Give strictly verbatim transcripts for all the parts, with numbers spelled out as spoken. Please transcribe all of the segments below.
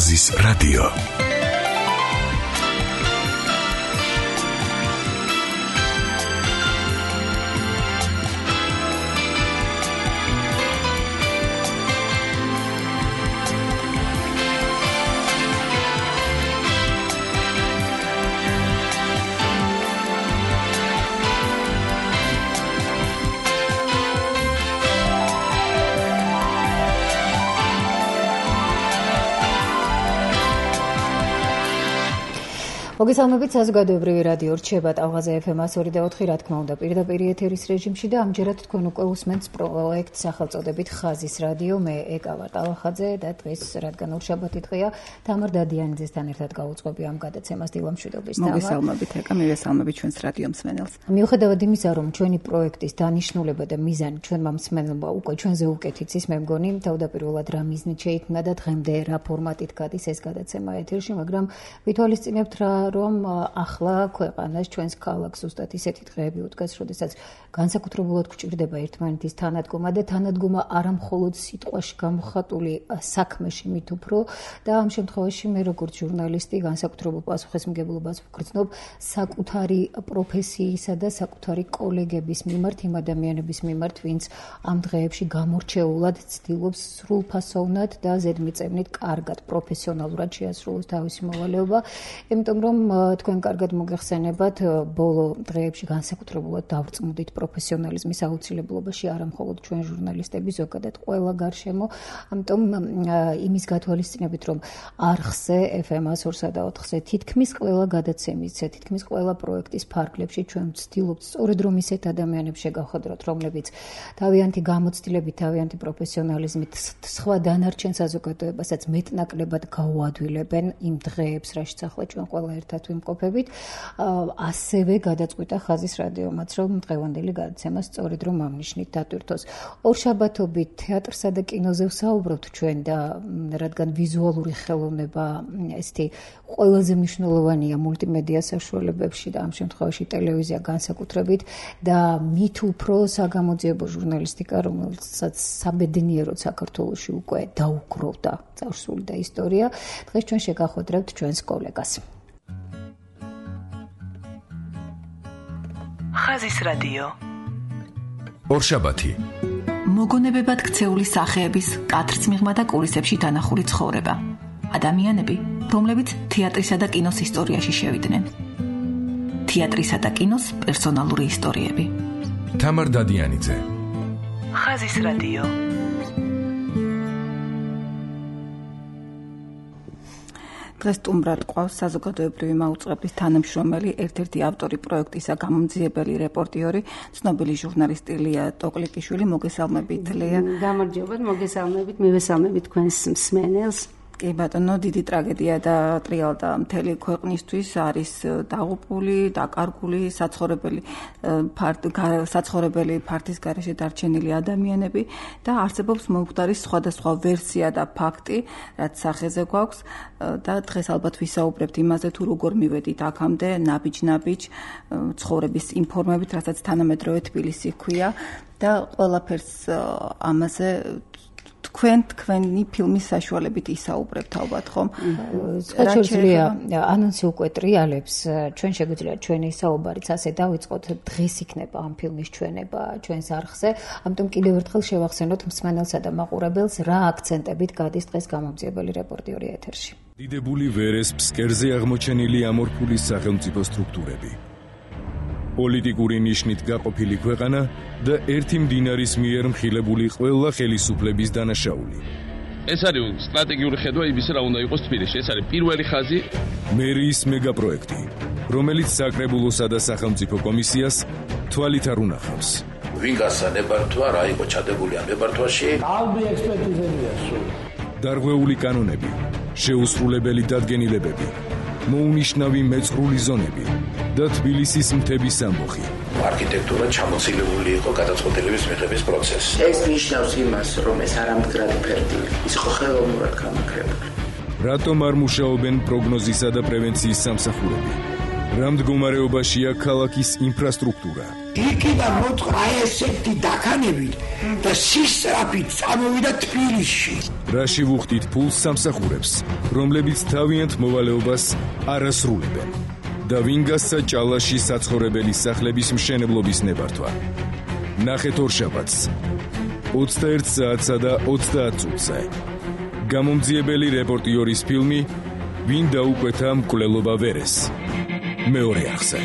ხაზის რადიო. მოგესალმებით, საზოგადოებრივი რადიო რჩება ტალღაზე ეფ ემ one oh two point four, რა თქმა უნდა, პირდაპირ ეთერის რეჟიმში და ამჯერად თქვენ უკვე უსმენთ პროექტ სახელწოდებით ხაზის რადიო. მე ეკა ვარ ტალახაძე და დღეს, რადგან ორშაბათი დღეა, თამარ დადიანიძესთან ერთად გავუძღვები ამ გადაცემას. დილამშვიდობის თამარ. მოგესალმებით, ეკა, მივესალმებით ჩვენს რადიო მსმენელს. მიუხედავად იმისა, რომ ჩვენი პროექტის დანიშნულება და მიზანი ჩვენმა მსმენელმა უკვე ჩვენზე უკეთ იცის, მე მგონი, თავდაპირველად რა მიზნით შეიქმნა და დღემდე რა ფორმატით გადის ეს გადაცემა ეთერში, მაგრამ ვითვალისწინებთ რა რომ ახლა ქვეყანას ჩვენს ქალაქს ზუსტად ისეთი დღეები უდგას, როდესაც განსაკუთრებულად გვჭირდება ერთმანეთის თანადგომა და თანადგომა არა მხოლოდ სიტყვაში გამოხატული საქმეში მით უფრო და ამ შემთხვევაში მე როგორც ჟურნალისტი განსაკუთრებულ პასუხისმგებლობას ვგრძნობ საკუთარი პროფესიისა და საკუთარი კოლეგების მიმართ, იმ ადამიანების მიმართ, ვინც ამ დღეებში გამორჩეულად ცდილობს სრულფასოვნად და ზედმიწევნით კარგად პროფესიონალურად შეასრულოს თავისი მოვალეობა, იმიტომ რომ თქვენ კარგად მოგეხსენებათ, ბოლო დღეებში განსაკუთრებულად დავრწმუდით პროფესიონალიზმის აუცილებლობაში არა მხოლოდ ჩვენ ჟურნალისტები, ზოგადად ყველა გარშემო, ამიტომ იმის გათვალისწინებით, რომ არხზე ეფ ემ one oh two და ოთხზე თითქმის ყველა გადაცემის, თითქმის ყველა პროექტის ფარგლებში ჩვენ ვცდილობთ სწორედ რომ ისეთ ადამიანებს შეგავხედროთ, რომლებიც თავიანთი გამოცდილებით, თავიანთი პროფესიონალიზმით სხვა დანარჩენ საზოგადოებასაც მეტნაკლებად გაუადვილებენ იმ დღეებს, რაშიც ახლა ჩვენ ყველა ერთად ვიმყოფებით, ასევე გადაწყვიტა ხაზის რადიომაც, რომ დღევანდელი გადაცემა სწორედ რომ ამ ნიშნით დატვირთოს. ორშაბათობით თეატრსა და კინოზე ვსაუბრობთ ჩვენ და რადგან ვიზუალური ხელოვნება ესეთი ყველაზე მნიშვნელოვანია მულტიმედია საშუალებებში და ამ შემთხვევაში ტელევიზია განსაკუთრებით და მით უფრო საგამოძიებო ჟურნალისტიკა, რომელსაც საბედნიეროდ საქართველოში უკვე დაუკროვდა წარსული და ისტორია, დღეს ჩვენ შეგახვედრებთ ჩვენს კოლეგას. ხაზის რადიო. ორშაბათი. მოგონებებად ქცეული სახეების კადრს მიღმა და კულისებში დანახული ცხოვრება. ადამიანები, რომლებიც თეატრისა და კინოს ისტორიაში შევიდნენ. თეატრისა და კინოს პერსონალური ისტორიები. თამარ დადიანიძე. ხაზის რადიო. დღეს სტუმრად ყავს საზოგადოებრივი მაუწყებლის თანამშრომელი, ერთ-ერთი ავტორი პროექტისა, გამომძიებელი რეპორტიორი, ცნობილი ჟურნალისტი ლია ტოკლიკიშვილი. მოგესალმებით, ლია. გამარჯობათ, მოგესალმებით, მივესალმებით თქვენს მსმენელს. კი ბატონო, დიდი ტრაგედია და ტრიალდა მთელი ქვეყნისთვის, არის დაღუპული, დაკარგული, საცხოვრებელი საცხოვრებელი ფართის გარეშე დარჩენილი ადამიანები და არსებობს მომხდარის სხვადასხვა ვერსია და ფაქტი, რაც სახეზე გვაქვს და დღეს ალბათ ვისაუბრებთ იმაზე, თუ როგორ მივედით აქამდე ნაბიჯ-ნაბიჯ ცხოვრების ინფორმებით, რასაც თანამედროვე თბილისი ჰქვია და ყველაფერს ამაზე თქვენ თქვენი ფილმის საშუალებით ისაუბრებთ ალბათ, ხომ? საჩვენია ანონსი უკვე ტრიალებს, ჩვენ შეგვიძლია ჩვენი საუბარიც ასე დავიწყოთ, დღეს იქნება ამ ფილმის ჩვენება ჩვენს არხზე, ამიტომ კიდევ ერთხელ შევახსენოთ მსმენელსა და მაყურებელს, რა აქცენტებით გადის დღეს გამომძიებელი რეპორტიორი ეთერში. დიდებული ვერეს ფსკერზე აღმოჩენილი ამორფული სახელმწიფო სტრუქტურები. პოლიტიკური ნიშნით გაყოფილი ქვეყანა და ერთი მდინარის მიერ მხილებული ყველა ხელისუფლების დანაშაული. ეს არის სტრატეგიული ხედვა იმისა, რა უნდა იყოს თბილისში. ეს არის პირველი ხაზი მერიის მეგაპროექტი, რომელიც საკრებულოსა და სახელმწიფო კომისიას თვალით არ უნახავს. ვინ გასანებართვა, რა იყო ჩადებული ამ ნებართვაში? ალბი ექსპერტიზებია სულ. დარღვეული კანონები, შეუსრულებელი დადგენილებები, მოუნიშნავი მეწყრული ზონები და თბილისის მთების ამბოხი. არქიტექტურა ჩამოცილებული იყო გადაწყვეტილების მიღების პროცესში. ეს ნიშნავს იმას, რომ ეს არამდგრადი ფერდილი, ის იყო ხელოვნურად გამაგრებული. რატომ არ მუშაობენ პროგნოზისა და პრევენციის სამსახურები? რა მდგომარეობაშია ქალაქის ინფრასტრუქტურა. იქიდან მოწყდა ესეთი დაქანებით და სისწრაფით წამოვიდა თბილისში. რაში ვუხდით ფულს სამსახურებს, რომლებიც თავიანთ მოვალეობას არ ასრულებენ. და ვინ გასცა ჭალაში საცხოვრებელი სახლების მშენებლობის ნებართვა. ნახეთ ორშაბათს ოცდაერთ საათსა და ოცდაათ წუთზე. გამომძიებელი რეპორტიორის ფილმი ვინ დაუკვეთა მკვლელობა ვერეს. მეორე არხზე.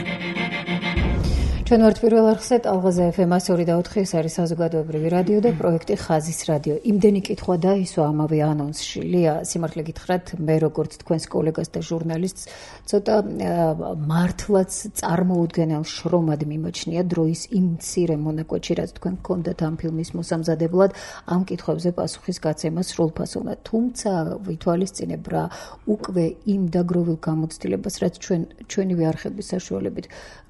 ჩვენ ვართ პირველ არხზე ტალღაზე ეფ ემ ორი და ოთხი, ეს არის საზოგადოებრივი რადიო და პროექტი ხაზის რადიო. იმდენი კითხვა დაისვა ამავე ანონსში. ლია, სიმართლე გითხრათ, მე როგორც თქვენს კოლეგას და ჟურნალისტს ცოტა მართლაც წარმოუდგენელ შრომად მიმაჩნია დროის იმ მცირე მონაკვეთში, რაც თქვენ გქონდათ ამ ფილმის მოსამზადებლად, ამ კითხვებზე პასუხის გაცემა სრულფასოვნად. თუმცა ვითვალისწინებ რა უკვე იმ დაგროვილ გამოცდილებას, რაც ჩვენ ჩვენივე არხების საშუალებით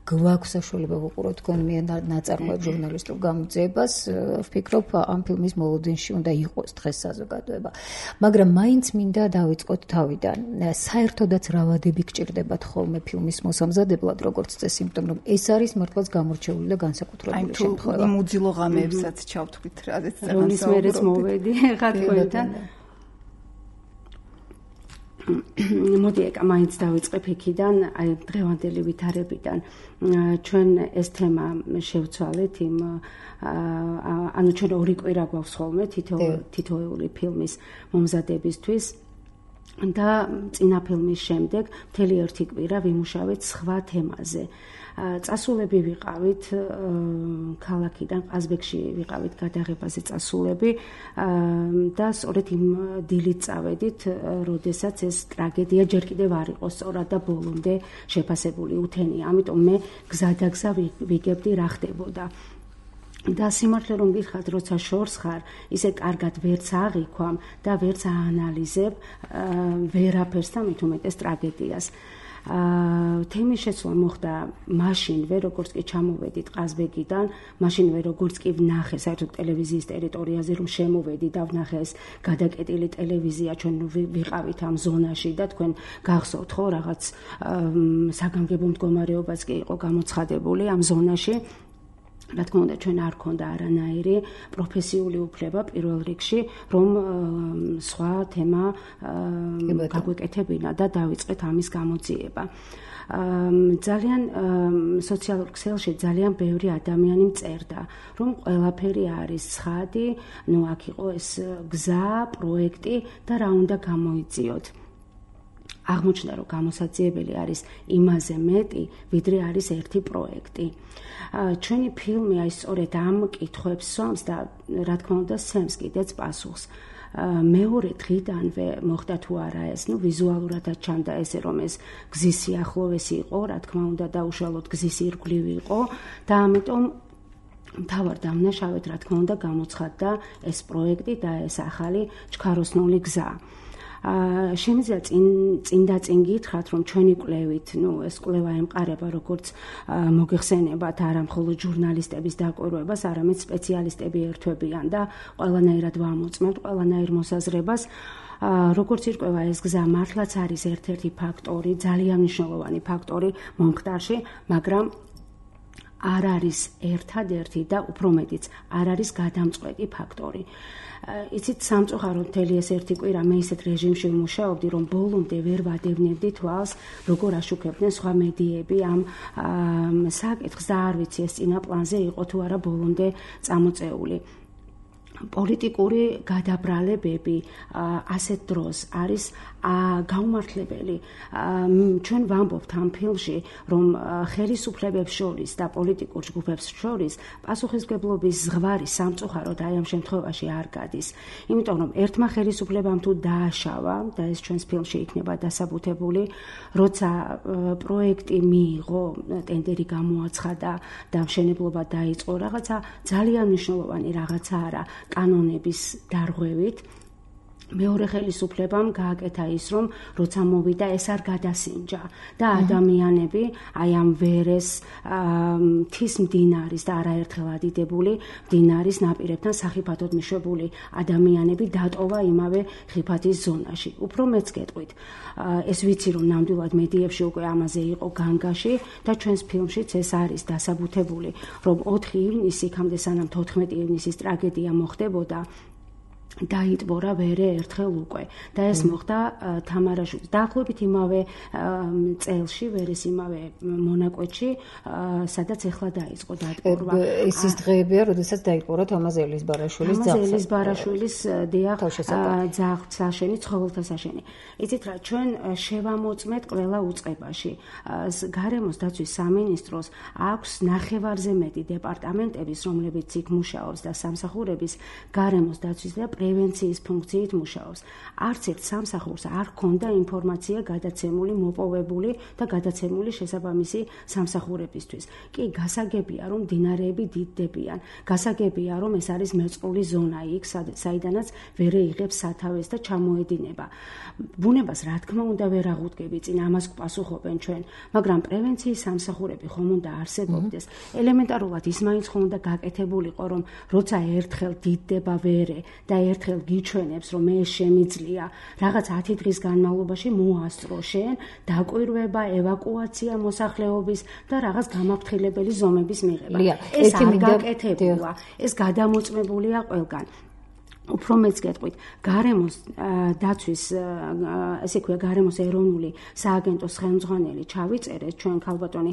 გვაქვს საშუალება ვუყუროთ თქვენ მიერ ნაწარმოებ ჟურნალისტურ გამოძიებას, ვფიქრობ ამ ფილმის მოლოდინში უნდა იყოს დღეს საზოგადოება. მაგრამ მაინც მინდა დავიწყოთ თავიდან. საერთოდაც რავადები გჭირდებათ ხოლმე ფილმის მოსამზადებლად, როგორც წესი, იმიტომ რომ ეს არის მართლაც გამორჩეული და განსაკუთრებული შემთხვევა. იმ უძილო ღამეებსაც ჩავთვლით, რადგან რომლის მერეც მოვედი ხა თქვენთან. მოდი ეკა მაინც დავიწყებ იქიდან, აი დღევანდელი ვითარებიდან. ჩვენ ეს თემა შევცვალეთ იმ ანუ ჩვენ ორი კვირა გვაქვს ხოლმე თითოეული ფილმის მომზადებისთვის და წინა ფილმის შემდეგ მთელი ერთი კვირა ვიმუშავეთ სხვა თემაზე. წასულები ვიყავით ქალაქიდან, ყაზბეგში ვიყავით გადაღებაზე წასულები და სწორედ იმ დილით წავედით, როდესაც ეს ტრაგედია ჯერ კიდევ არ იყო სწორად და ბოლომდე შეფასებული უთენია. ამიტომ მე გზადაგზა ვიგებდი რა ხდებოდა. და სიმართლე რომ გითხრათ, როცა შორს ხარ, ისე კარგად ვერც აღიქვამ და ვერც აანალიზებ ვერაფერს და მით უმეტეს ტრაგედიას. თემის შეცვლა მოხდა მაშინვე, როგორც კი ჩამოვედით ყაზბეგიდან, მაშინვე როგორც კი ვნახე საერთოდ ტელევიზიის ტერიტორიაზე რომ შემოვედი და ვნახე ეს გადაკეტილი ტელევიზია, ჩვენ ვიყავით ამ ზონაში და თქვენ გახსოვთ ხო რაღაც საგანგებო მდგომარეობაც კი იყო გამოცხადებული ამ ზონაში. რა თქმა უნდა, ჩვენ არ ქონდა არანაირი პროფესიული უფლება პირველ რიგში, რომ სხვა თემა გაგვეკეთებინა და დავიწყეთ ამის გამოძიება. ძალიან სოციალურ ქსელში ძალიან ბევრი ადამიანი მწერდა, რომ ყველაფერი არის ცხადი, ნუ აქ იყო ეს გზა, პროექტი და რა უნდა გამოიძიოთ. აღმოჩნდა, რომ გამოსაძიებელი არის იმაზე მეტი, ვიდრე არის ერთი პროექტი. ჩვენი ფილმი აი სწორედ ამ კითხვებს სვამს და რა თქმა უნდა სცემს კიდეც პასუხს. მეორე დღიდანვე მოხდა თუ არა ეს, ნუ ვიზუალურადაც ჩანდა ესე, რომ ეს გზის სიახლოვესი იყო, რა თქმა უნდა და უშუალოდ გზის ირგვლივ იყო და ამიტომ მთავარ დამნაშავედ რა თქმა უნდა გამოცხადდა ეს პროექტი და ეს ახალი ჩქაროსნული გზა. შემიძლია წინ წინ და წინ გითხრათ, რომ ჩვენი კვლევით, ნუ ეს კვლევა ემყარება როგორც მოგეხსენებათ არა მხოლოდ ჟურნალისტების დაკვირვებას, არამედ სპეციალისტები ერთვებიან და ყველანაირად ვამოწმებთ ყველანაირ მოსაზრებას. როგორც ირკვევა ეს გზა მართლაც არის ერთ-ერთი ფაქტორი, ძალიან მნიშვნელოვანი ფაქტორი მომხდარში, მაგრამ არ არის ერთადერთი და უფრო მეტიც არ არის გადამწყვეტი ფაქტორი. იცით, სამწუხაროდ მთელი ეს ერთი კვირა მე ისეთ რეჟიმში ვმუშაობდი, რომ ბოლომდე ვერ ვადევნებდი თვალს, როგორ აშუქებდნენ სხვა მედიები ამ საკითხს და არ ვიცი ეს წინა პლანზე იყო თუ არა ბოლომდე წამოწეული. პოლიტიკური გადაბრალებები ასეთ დროს არის გაუმართლებელი. ჩვენ ვამბობთ ამ ფილმში, რომ ხელისუფლებებს შორის და პოლიტიკურ ჯგუფებს შორის პასუხისმგებლობის ზღვარი სამწუხაროდ აი ამ შემთხვევაში არ გადის. იმიტომ რომ ერთმა ხელისუფლებამ თუ დააშავა და ეს ჩვენს ფილმში იქნება დასაბუთებული, როცა პროექტი მიიღო, ტენდერი გამოაცხადა და მშენებლობა დაიწყო, რაღაცა ძალიან მნიშვნელოვანი რაღაცა არა კანონების დარღვევით მეორე ხელისუფლებამ გააკეთა ის, რომ როცა მოვიდა ეს არ გადასინჯა და ადამიანები აი ამ ვერეს, მთის მდინარის და არაერთხელ ადიდებული მდინარის ნაპირებთან სახიფათოდ მიშვებული ადამიანები დატოვა იმავე ხიფათის ზონაში. უფრო მეც გეტყვით, ეს ვიცი რომ ნამდვილად მედიებში უკვე ამაზე იყო განგაში და ჩვენს ფილმშიც ეს არის დასაბუთებული, რომ ოთხი ივნისი იქამდე სანამ თოთხმეტი ივნისის ტრაგედია მოხდებოდა დაიტბორა ვერე ერთხელ უკვე და ეს მოხდა თამარაშვილის დაახლოებით იმავე წელში ვერეს იმავე მონაკვეთში სადაც ეხლა დაიწყო დატბორვა. ეს ის დღეებია, როდესაც დაიტბორა თამაზ ელიზბარაშვილის ძაღლი. თამაზ ელიზბარაშვილის დიახ ძაღლსაშენი, ცხოველთასაშენი. იცით რა, ჩვენ შევამოწმეთ ყველა უწყებაში. გარემოს დაცვის სამინისტროს აქვს ნახევარზე მეტი დეპარტამენტების, რომლებიც იქ მუშაობს და სამსახურების გარემოს დაცვის და პრევენციის ფუნქციით მუშაობს. არც ერთ სამსახურს არ ჰქონდა ინფორმაცია გადაცემული, მოპოვებული და გადაცემული შესაბამისი სამსახურებისთვის. კი, გასაგებია, რომ მდინარეები დიდდებიან. გასაგებია, რომ ეს არის მეწყრული ზონა იქ, საიდანაც ვერე იღებს სათავეს და ჩამოედინება. ბუნებას, რა თქმა უნდა, ვერ აღუდგები წინ, ამას გვპასუხობენ ჩვენ, მაგრამ პრევენციის სამსახურები ხომ უნდა არსებობდეს. ელემენტარულად ის მაინც ხომ უნდა გაკეთებულიყო, რომ როცა ერთხელ დიდდება ვერე და ერთხელ გიჩვენებს, რომ ეს შემიძლია რაღაც ათი დღის განმავლობაში მოასწრო შენ დაკვირვება, ევაკუაცია მოსახლეობის და რაღაც გამაფრთხილებელი ზომების მიღება. ეს არ გაკეთებულა, ეს გადამოწმებულია ყველგან. უფრო მეც გეტყვით, გარემოს დაცვის, ესე ქვია, გარემოს ეროვნული სააგენტოს ხელმძღვანელი ჩავიწერეთ ჩვენ ქალბატონი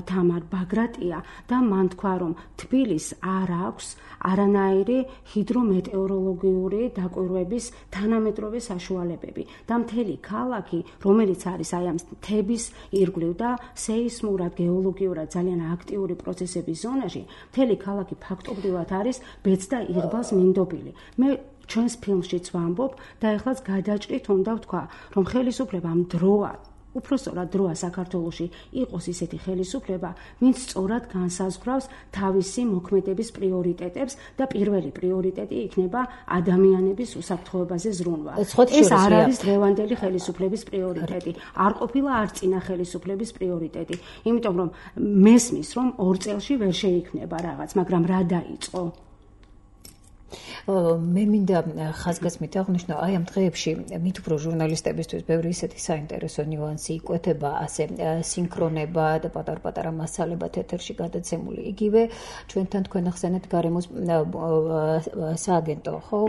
თამარ ბაგრატია და მან თქვა, რომ თბილისს არ აქვს არანაირი ჰიდრომეტეოროლოგიური დაკვირვების თანამედროვე საშუალებები და მთელი ქალაქი, რომელიც არის აი ამ მთების ირგვლივ და სეისმურად, გეოლოგიურად ძალიან აქტიური პროცესების ზონაში, მთელი ქალაქი ფაქტობრივად არის ბეწ და იღბალს მინდობილი. მე ჩვენს ფილმშიც ვამბობ და ეხლაც გადაჭრით უნდა ვთქვა, რომ ხელისუფლებამ დროა, უფრო სწორად დროა საქართველოში იყოს ისეთი ხელისუფლება, ვინც სწორად განსაზღვრავს თავისი მოქმედების პრიორიტეტებს და პირველი პრიორიტეტი იქნება ადამიანების უსაფრთხოებაზე ზრუნვა. ეს არ არის დღევანდელი ხელისუფლების პრიორიტეტი, არ ყოფილა არც წინა ხელისუფლების პრიორიტეტი, იმიტომ რომ მესმის, რომ ორ წელში ვერ შეიქმნება რაღაც, მაგრამ რა დაიწყო? მე მინდა ხაზგასმით აღნიშნო, აი ამ დღეებში მით უფრო ჟურნალისტებისთვის ბევრი ისეთი საინტერესო ნიუანსი იკვეთება, ასე სინქრონება და პატარ-პატარა მასალებად ეთერში გადაცემული. იგივე ჩვენთან თქვენ ახსენეთ გარემოს სააგენტო, ხო?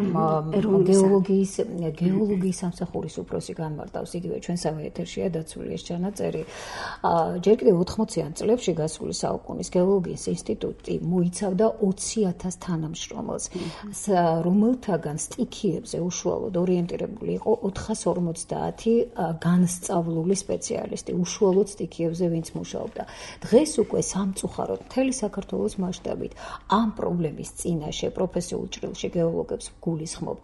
გეოლოგიის გეოლოგიის სამსახურის უფროსი განმარტავს, იგივე ჩვენსავე ეთერშია დაცული ეს ჩანაწერი. ჯერ კიდევ ოთხმოციან წლებში გასული საუკუნის გეოლოგიის ინსტიტუტი მოიცავდა ოცი ათას თანამშრომელს. რომელთაგან სტიქიებზე უშუალოდ ორიენტირებული იყო ოთხას ორმოცდაათი განსწავლული სპეციალისტი, უშუალოდ სტიქიებზე ვინც მუშაობდა. დღეს უკვე სამწუხაროდ მთელი საქართველოს მასშტაბით ამ პრობლემის წინაშე პროფესიულ ჭრილში გეოლოგებს გულისხმობ,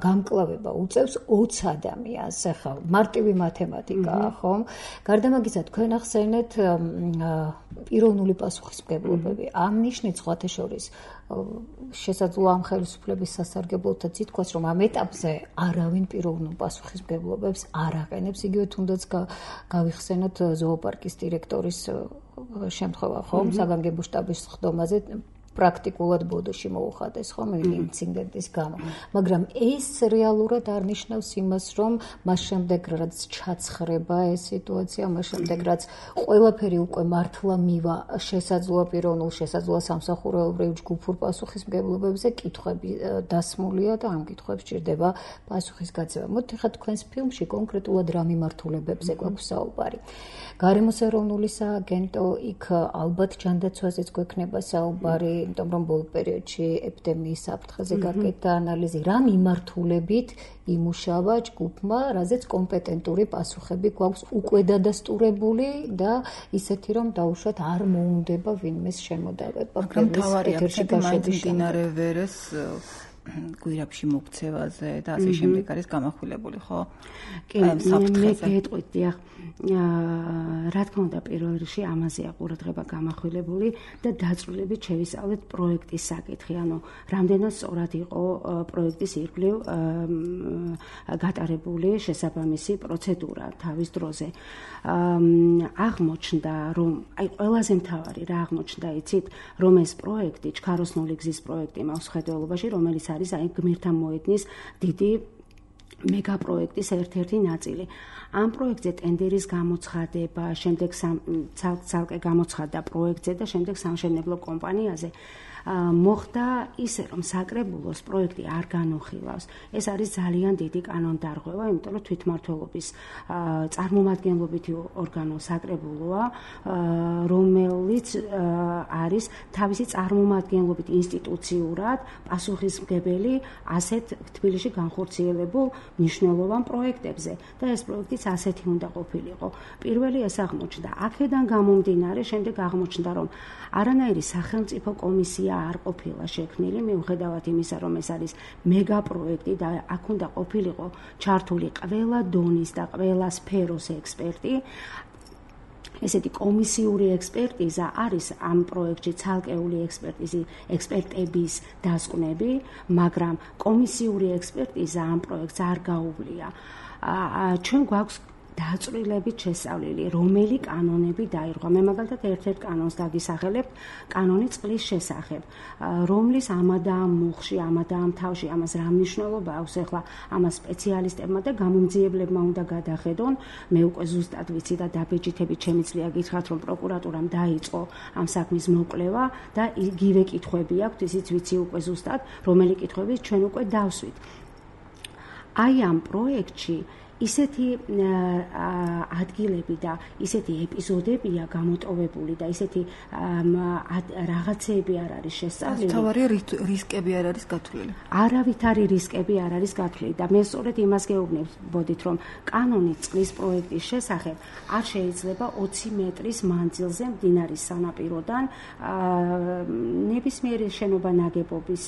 გამკლავება უწევს ოც ადამიანს, ახლა მარტივი მათემატიკაა, ხომ? გარდა ამისა, თქვენ ახსენეთ პიროვნული პასუხისმგებლობები. ამ ნიშნით სხვათა შორის შესაძლოა ამ ხელისუფლების სასარგებლოთაც ითქვას, რომ ამ ეტაპზე არავინ პიროვნულ პასუხისმგებლობებს არ აყენებს, იგივე თუნდაც გავიხსენოთ ზოოპარკის დირექტორის შემთხვევა, ხომ? საგანგებო შტაბის ხდომაზე პრაქტიკულად ბოდოში მოუხადეს, ხომ, ინციდენტის გამო. მაგრამ ეს რეალურად არ ნიშნავს იმას, რომ მას შემდეგ რაც ჩაცხრება ეს სიტუაცია, მას შემდეგ რაც ყველაფერი უკვე მართლა მივა შესაძლოა პიროვნულ, შესაძლოა სამსახურეობრივ ჯგუფურ პასუხისმგებლობებზე, კითხვები დასმულია და ამ კითხვებს ჭირდება პასუხის გაცემა. მოდით ახლა თქვენს ფილმში კონკრეტულად რა მიმართულებებზე გვაქვს საუბარი. გარემოს ეროვნული სააგენტო, იქ ალბათ ჯანდაცვაზეც გვექნება საუბარი, იმიტომ რომ ბოლო პერიოდში ეპიდემიის საფრთხეზე გაკეთდა ანალიზი, რა მიმართულებით იმუშავა ჯგუფმა, რაზეც კომპეტენტური პასუხები გვაქვს უკვე დადასტურებული და ისეთი რომ დაუშვათ არ მოუნდება ვინმეს შემოდავება. მაგრამ თავარია ფერში გაშვების მდინარე ვერეს გვირაბში მოქცევაზე და ასე შემდეგ არის გამახვილებული, ხო? კი, მე გეტყვით, დიახ. რა თქმა უნდა, პირველ რიგში ამაზეა ყურადღება გამახვილებული და დაწვრილებით შევისწავლეთ პროექტის საკითხი, ანუ რამდენად სწორად იყო პროექტის ირგვლივ გატარებული შესაბამისი პროცედურა თავის დროზე. აღმოჩნდა, რომ აი ყველაზე მთავარი რა აღმოჩნდა, იცით, რომ ეს პროექტი, ჩქაროსნული გზის პროექტი მაქვს ხედველობაში, რომელიც არის აი გმირთა მოედნის დიდი მეგაპროექტის ერთ-ერთი ნაწილი. ამ პროექტზე ტენდერის გამოცხადება, შემდეგ ცალკე გამოცხადდა პროექტზე და შემდეგ სამშენებლო კომპანიაზე მოხდა ისე, რომ საკრებულოს პროექტი არ განუხილავს. ეს არის ძალიან დიდი კანონდარღვევა, იმიტომ რომ თვითმმართველობის წარმომადგენლობითი ორგანო საკრებულოა, რომელიც არის თავისი წარმომადგენლობით ინსტიტუციურად პასუხისმგებელი ასეთ თბილისში განხორციელებულ მნიშვნელოვან პროექტებზე და ეს პროექტიც ასეთი უნდა ყოფილიყო. პირველი ეს აღმოჩნდა. აქედან გამომდინარე, შემდეგ აღმოჩნდა, რომ არანაირი სახელმწიფო კომისია არ ყოფილა შექმნილი, მიუხედავად იმისა, რომ ეს არის მეგაპროექტი და აქ უნდა ყოფილიყო ჩართული ყველა დონის და ყველა სფეროს ექსპერტი. ესეთი კომისიური ექსპერტიზა არის ამ პროექტში ცალკეული ექსპერტიზი, ექსპერტების დასკვნები, მაგრამ კომისიური ექსპერტიზა ამ პროექტს არ გაუვლია. ჩვენ გვაქვს დაწვრილებით შესწავლილი, რომელი კანონები დაირღვა. მე მაგალითად ერთ-ერთ კანონს დაგისახელებ, კანონი წყლის შესახებ, რომლის ამადა ამ მუხში, ამადა ამ თავში, ამას რა მნიშვნელობა აქვს ახლა ამას სპეციალისტებმა და გამომძიებლებმა უნდა გადახედონ. მე უკვე ზუსტად ვიცი და დაბეჭდებით შემიძლია გითხრათ, რომ პროკურატურამ დაიწყო ამ საქმის მოკვლევა და იგივე კითხვები აქვს, ისიც ვიცი უკვე ზუსტად, რომელი კითხვები ჩვენ უკვე დავსვით. აი ამ პროექტში ისეთი ადგილები და ისეთი ეპიზოდებია გამოტოვებული და ისეთი რაღაცეები არ არის შესწავლილი. თავარი რისკები არ არის გათვლილი. არავითარი რისკები არ არის გათვლილი და მე სწორედ იმას გეუბნებოდით, რომ კანონი წყლის პროექტის შესახებ არ შეიძლება ოცი მეტრის მანძილზე მდინარის სანაპიროდან ნებისმიერი შენობა ნაგებობის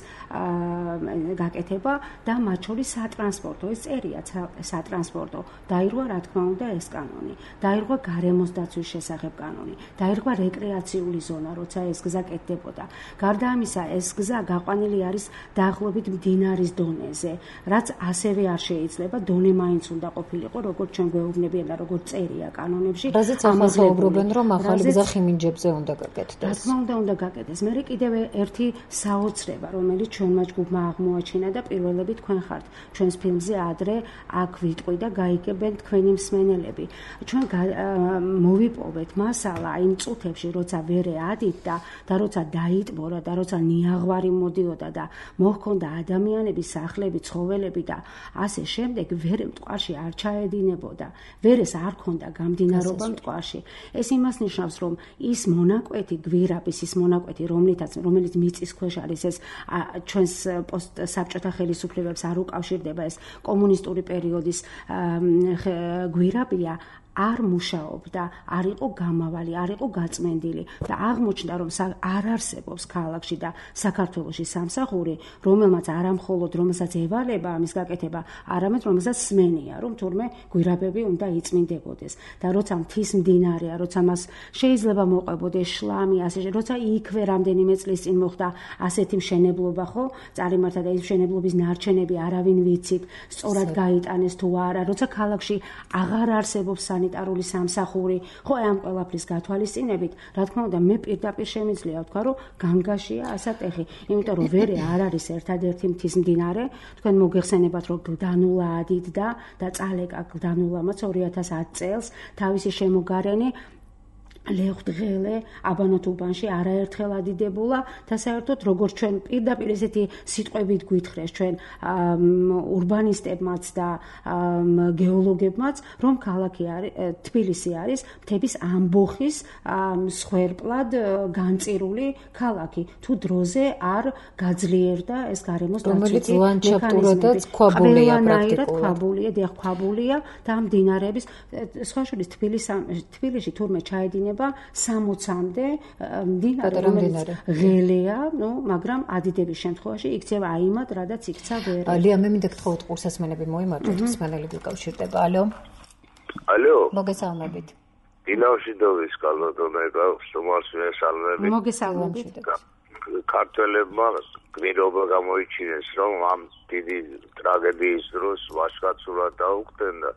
გაკეთება და მათ შორის სატრანსპორტო, ეს წერია სატრანსპორტო დაირღვა რა თქმა უნდა ეს კანონი, დაირღვა გარემოს დაცვის შესახებ კანონი, დაირღვა რეკრეაციული ზონა, როცა ეს გზა კეთდებოდა. გარდა ამისა, ეს გზა გაყვანილი არის დაახლოებით მდინარის დონეზე, რაც ასევე არ შეიძლება, დონე მაინც უნდა ყოფილიყო, როგორც ჩვენ გვეუბნებიან და როგორც წერია კანონებში. რაზეც ახალგაზრდობენ, რომ ახალი გზა ხიმინჯებზე უნდა გაკეთდეს. რა თქმა უნდა, უნდა გაკეთდეს. მე კიდევ ერთი საოცრება, რომელიც ჩვენმა ჯგუფმა აღმოაჩინა და პირველები თქვენ ხართ. ჩვენს ფილმზე ადრე აქ ვიტყვი და გაიგებენ თქვენი მსმენელები. ჩვენ მოვიპოვეთ მასალა იმ წუთებში, როცა ვერე ადიდდა და როცა დაიტბორა და როცა ნიაღვარი მოდიოდა და მოჰქონდა ადამიანების სახლები, ცხოველები და ასე შემდეგ, ვერე მტკვარში არ ჩაედინებოდა. ვერეს არ ქონდა გამდინარობა მტკვარში. ეს იმას ნიშნავს, რომ ის მონაკვეთი გვირაბის, ის მონაკვეთი, რომლითაც რომელიც მიწის ქვეშ არის, ეს ჩვენს პოსტსაბჭოთა ხელისუფლებებს არ უკავშირდება, ეს კომუნისტური პერიოდის გვირაბია, არ მუშაობდა, არ იყო გამავალი, არ იყო გაწმენდილი და აღმოჩნდა, რომ არ არსებობს ქალაქში და საქართველოში სამსახური, რომელმაც არამხოლოდ რომელსაც ევალება ამის გაკეთება, არამედ რომელსაც სმენია, რომ თურმე გვირაბები უნდა იწმინდებოდეს. და როცა მთის მდინარეა, როცა მას შეიძლება მოყვებოდეს შლამი, ასე როცა იქვე რამდენიმე წლის წინ მოხდა ასეთი მშენებლობა, ხო? წარიმართა და ის მშენებლობის ნარჩენები არავინ ვიცით, სწორად გაიტანეს თუ არა, როცა ქალაქში აღარ არსებობს სანიტარული სამსახური, ხო, ამ ყველაფრის გათვალისწინებით, რა თქმა უნდა, მე პირდაპირ შემიძლია ვთქვა, რომ განგაშია ასატეხი, იმიტომ რომ ვერე არ არის ერთადერთი მთის მდინარე, თქვენ მოგეხსენებათ, რომ გლდანულა ადიდდა და წალეკა გლდანულამაც ორი ათას ათი წელს თავისი შემოგარენი ლეხვდღელე აბანოთ უბანში არაერთხელ ადიდებულა და საერთოდ როგორც ჩვენ პირდაპირ ესეთი სიტყვებით გვითხრეს ჩვენ ურბანისტებმაც და გეოლოგებმაც, რომ ქალაქი არის თბილისი არის მთების ამბოხის მსხვერპლად განწირული ქალაქი. თუ დროზე არ გაძლიერდა ეს გარემოს რომელიც ლანდშაფტურადაც ქვაბულია პრაქტიკულად. ქვაბულია, დიახ, ქვაბულია და მდინარეების სხვა შორის თბილისში თურმე ჩაედინება იქნება სამოცამდე მდინარე, რომელიც ღელეა, ნუ, მაგრამ ადიდების შემთხვევაში იქცევა აიმად, რადაც იქცა ვერ. ლია, მე მინდა გთხოვოთ ყურსასმენები მოიმართოთ, მსმენელი გიკავშირდება. ალო. ალო. მოგესალმებით. დინავშიდოვის კალოდონება, სტუმარს მესალმებით. მოგესალმებით. ქართველებმა გმირობა გამოიჩინეს, რომ ამ დიდი ტრაგედიის დროს ვაჟკაცურად დაუხდნენ და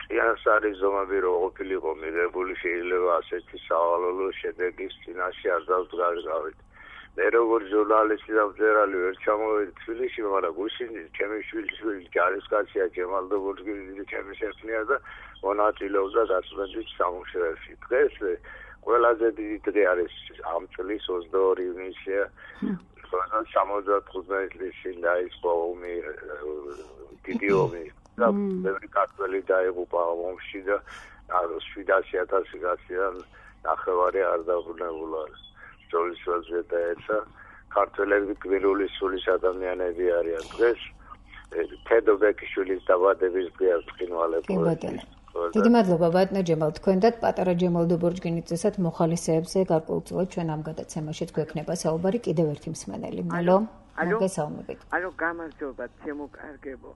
ჭიანს არის ზომები რო ყოფილიყო მიღებული, შეიძლება ასეთი სავალალო შედეგის წინაშე არ დავდგარგავით. მე როგორც ჟურნალისტი და მწერალი ვერ ჩამოვედი თბილისში, მაგრამ გუშინი ჩემი შვილიშვილი ჯარისკაცია ჯემალდობურგიძე ჩემი შექმნია და მონაწილეობდა გაწმენდის სამუშაოში. დღეს ყველაზე დიდი დღე არის ამ წლის ოცდაორი ივნისია. სამოცდათხუთმეტი წლის წინ დაიწყო ომი, დიდი ომი და ბევრი ქართველი დაიღუპა ომში და შვიდასი ათასი კაციდან ნახევარი არ დაბრუნებულა. ბრძოლის დაეცა ქართველები გმირული სულის ადამიანები არიან. დღეს თედო ბეკიშვილის დაბადების დღეა ბრწყინვალებული. დიდი მადლობა ბატონო ჯემალ, თქვენ და პატარა ჯემალ დობორჯგინიძესაც მოხალისეებზე გარკვეულწილად ჩვენ ამ გადაცემაშიც გვექნება საუბარი. კიდევ ერთი მსმენელი. ალო. მოგესალმებით. ალო, გამარჯობა, ჩემო კარგებო.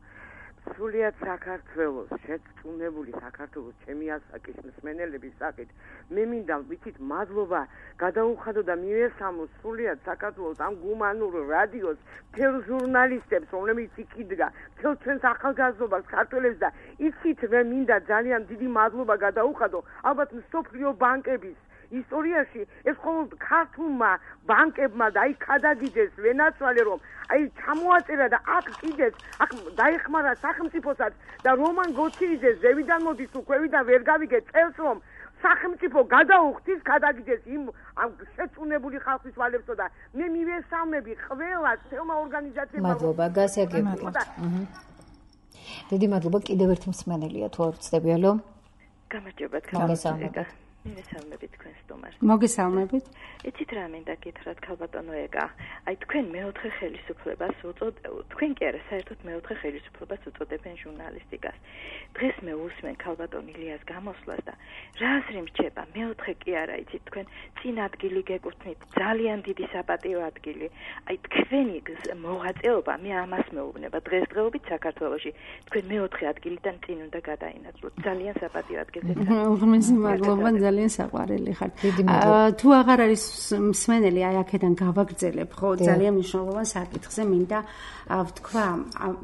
სრულიად საქართველოს შეწუნებული საქართველოს ჩემი ასაკის მსმენელების საკით მე მინდა ვიცით მადლობა გადაუხადო და მივესალმო სრულიად საქართველოს ამ გუმანურ რადიოს მთელ ჟურნალისტებს, რომლებიც იქიდგა მთელ ჩვენს ახალგაზრდობას ქართველებს და იცით მე მინდა ძალიან დიდი მადლობა გადაუხადო ალბათ მსოფლიო ბანკების ისტორიაში ეს მხოლოდ ქართულმა ბანკებმა და აი გადაგიდეს ვენაცვალე რომ აი ჩამოაწერა და აქ კიდეც აქ დაეხმარა სახელმწიფოსაც და რომან გოჩიძეს ზევიდან მოდის თუ ქვევიდან ვერ გავიგე წელს რომ სახელმწიფო გადაუხდის გადაგიდეს იმ ამ შეწუნებული ხალხის ვალებსო და მე მივესალმები ყველა თელმა ორგანიზაციებმა მადლობა გასაგებია. დიდი მადლობა. კიდევ ერთი მსმენელია თუ არ ვწდები. ალო. გამარჯობა თქვენ. მოგესალმებით. მივესალმებით თქვენ სტუმარს. მოგესალმებით. იცით რა მინდა გითხრათ ქალბატონო ეგა. აი თქვენ მეოთხე ხელისუფლებას უწოდეთ. თქვენ კი არა, საერთოდ მეოთხე ხელისუფლებას უწოდებენ ჟურნალისტიკას. დღეს მე უსმენ ქალბატონ ილიას გამოსვლას და რა აზრი მრჩება? მეოთხე კი არა, იცით თქვენ წინ ადგილი გეკუთვნით, ძალიან დიდი საპატიო ადგილი. აი თქვენი მოღვაწეობა მე ამას მეუბნება. დღესდღეობით საქართველოში თქვენ მეოთხე ადგილიდან წინ უნდა გადაინაცვლოთ. ძალიან საპატიო ადგილზე. უღმესი მადლობა. ძალიან საყვარელი ხარ. თუ აღარ არის მსმენელი, აი აქედან გავაგრძელებ, ხო, ძალიან მნიშვნელოვან საკითხზე მინდა ვთქვა,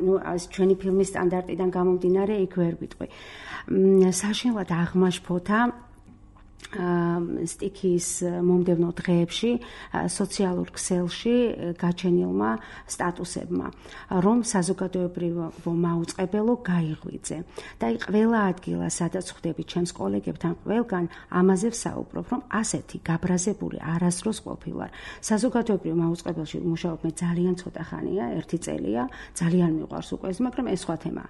ნუ ჩვენი ფილმის სტანდარტიდან გამომდინარე იქ ვერ ვიტყვი. საშინლად აღმაშფოთა სტიქის მომდევნო დღეებში სოციალურ ქსელში გაჩენილმა სტატუსებმა, რომ საზოგადოებრივო მაუწყებელო გაიღვიძე. და აი ყველა ადგილა, სადაც ხვდები ჩემს კოლეგებთან ყველგან ამაზე ვსაუბრობ, რომ ასეთი გაბრაზებული არასდროს ყოფილვარ. საზოგადოებრივ მაუწყებელში ვმუშაობ მე ძალიან ცოტა ხანია, ერთი წელია, ძალიან მიყვარს უკვე ეს, მაგრამ ეს სხვა თემაა.